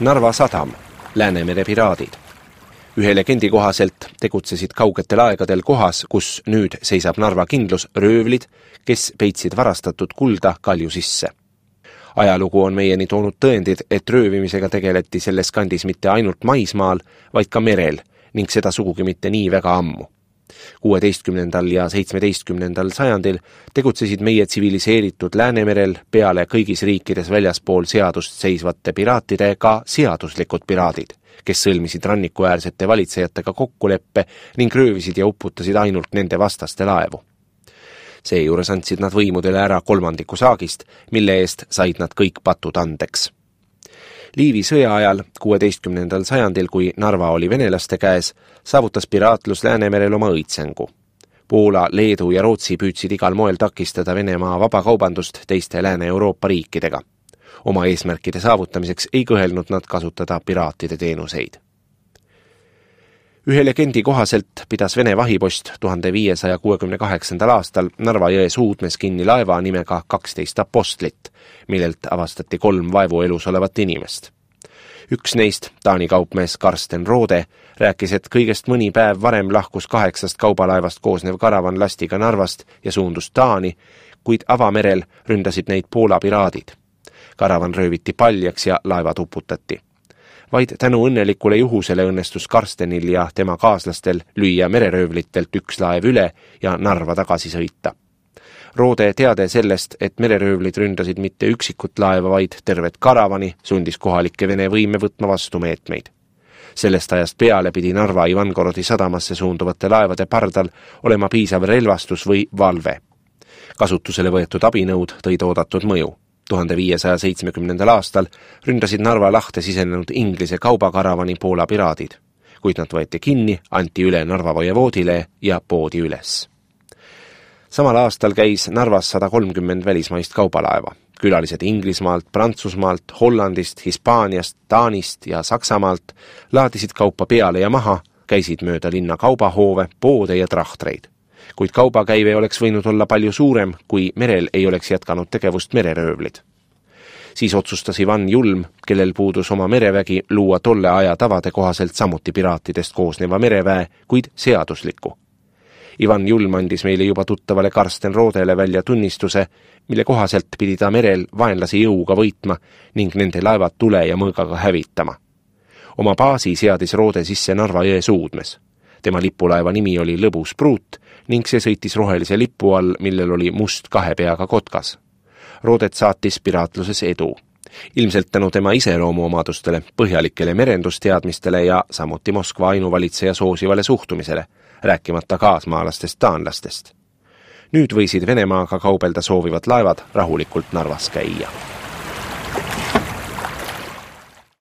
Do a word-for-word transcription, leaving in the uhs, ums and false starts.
Narva sadam, Läänemere piraadid. Ühe legendi kohaselt tegutsesid kaugetel aegadel kohas, kus nüüd seisab Narva kindlus röövlid, kes peitsid varastatud kulda kalju sisse. Ajalugu on meieni toonud tõendid, et röövimisega tegeleti selles kandis mitte ainult maismaal, vaid ka merel ning seda sugugi mitte nii väga ammu. kuueteistkümnendal ja seitsmeteistkümnendal sajandil tegutsesid meie tsiviliseeritud Läänemerel peale kõigis riikides väljaspool seadust seisvate piraatide ka seaduslikud piraadid, kes sõlmisid rannikuäärsete valitsejatega kokkuleppe ning röövisid ja uputasid ainult nende vastaste laevu. Seejuures andsid nad võimudele ära kolmandiku saagist, mille eest said nad kõik patud andeks. Liivi sõja ajal, kuueteistkümnendal sajandil, kui Narva oli venelaste käes, saavutas piraatlus Läänemerel oma õitsengu. Poola, Leedu ja Rootsi püüdsid igal moel takistada Venemaa vabakaubandust teiste Lääne-Euroopa riikidega. Oma eesmärkide saavutamiseks ei kõhelnud nad kasutada piraatide teenuseid. Ühe legendi kohaselt pidas Vene vahipost tuhande viiesaja kuuekümne kaheksandal aastal Narva jõe suudmes kinni laeva nimega kaksteist apostlit, millelt avastati kolm vaevuelus olevat inimest. Üks neist, Taani kaupmees Karsten Roode, rääkis, et kõigest mõni päev varem lahkus kaheksast kaubalaevast koosnev karavan lastiga Narvast ja suundus Taani, kuid avamerel ründasid neid Poola piraadid. Karavan rööviti paljaks ja laevad uputati. Vaid tänu õnnelikule juhusele õnnestus Karstenil ja tema kaaslastel lüüa mereröövlitelt üks laev üle ja Narva tagasi sõita. Roode teade sellest, et mereröövlid ründasid mitte üksikut laeva, vaid tervet karavani, sundis kohalikke Vene võime võtma vastu meetmeid. Sellest ajast peale pidi Narva Ivangorodi sadamasse suunduvate laevade pardal olema piisav relvastus või valve. Kasutusele võetud abinõud tõid oodatud mõju. tuhande viiesaja seitsmekümnendal aastal ründasid Narva lahte sisenenud Inglise kaubakaravani Poola piraadid, kuid nad võeti kinni, anti üle Narva vojevoodile ja poodi üles. Samal aastal käis Narvas sada kolmkümmend välismaist kaubalaeva. Külalised Inglismaalt, Prantsusmaalt, Hollandist, Hispaaniast, Taanist ja Saksamaalt laadisid kaupa peale ja maha, käisid mööda linna kaubahoove, poode ja trahtreid. Kuid kaubakäive oleks võinud olla palju suurem, kui merel ei oleks jätkanud tegevust mereröövlid. Siis otsustas Ivan Julm, kellel puudus oma merevägi, luua tolle aja tavade kohaselt samuti piraatidest koosneva mereväe, kuid seadusliku. Ivan Julm andis meile juba tuttavale Karsten Roodele välja tunnistuse, mille kohaselt pidi ta merel vaenlasi jõuga võitma ning nende laevad tule ja mõõgaga hävitama. Oma baasi seadis Roode sisse Narva jõe suudmes. Tema lipulaeva nimi oli Lõbus Pruut ning see sõitis rohelise lipu all, millel oli must kahe peaga kotkas. Roodet saatis piraatluses edu. Ilmselt tänu tema iseloomuomadustele, põhjalikele merendusteadmistele ja samuti Moskva ainuvalitseja soosivale suhtumisele, rääkimata kaasmaalastest taanlastest. Nüüd võisid Venemaaga kaubelda soovivad laevad rahulikult Narvas käia.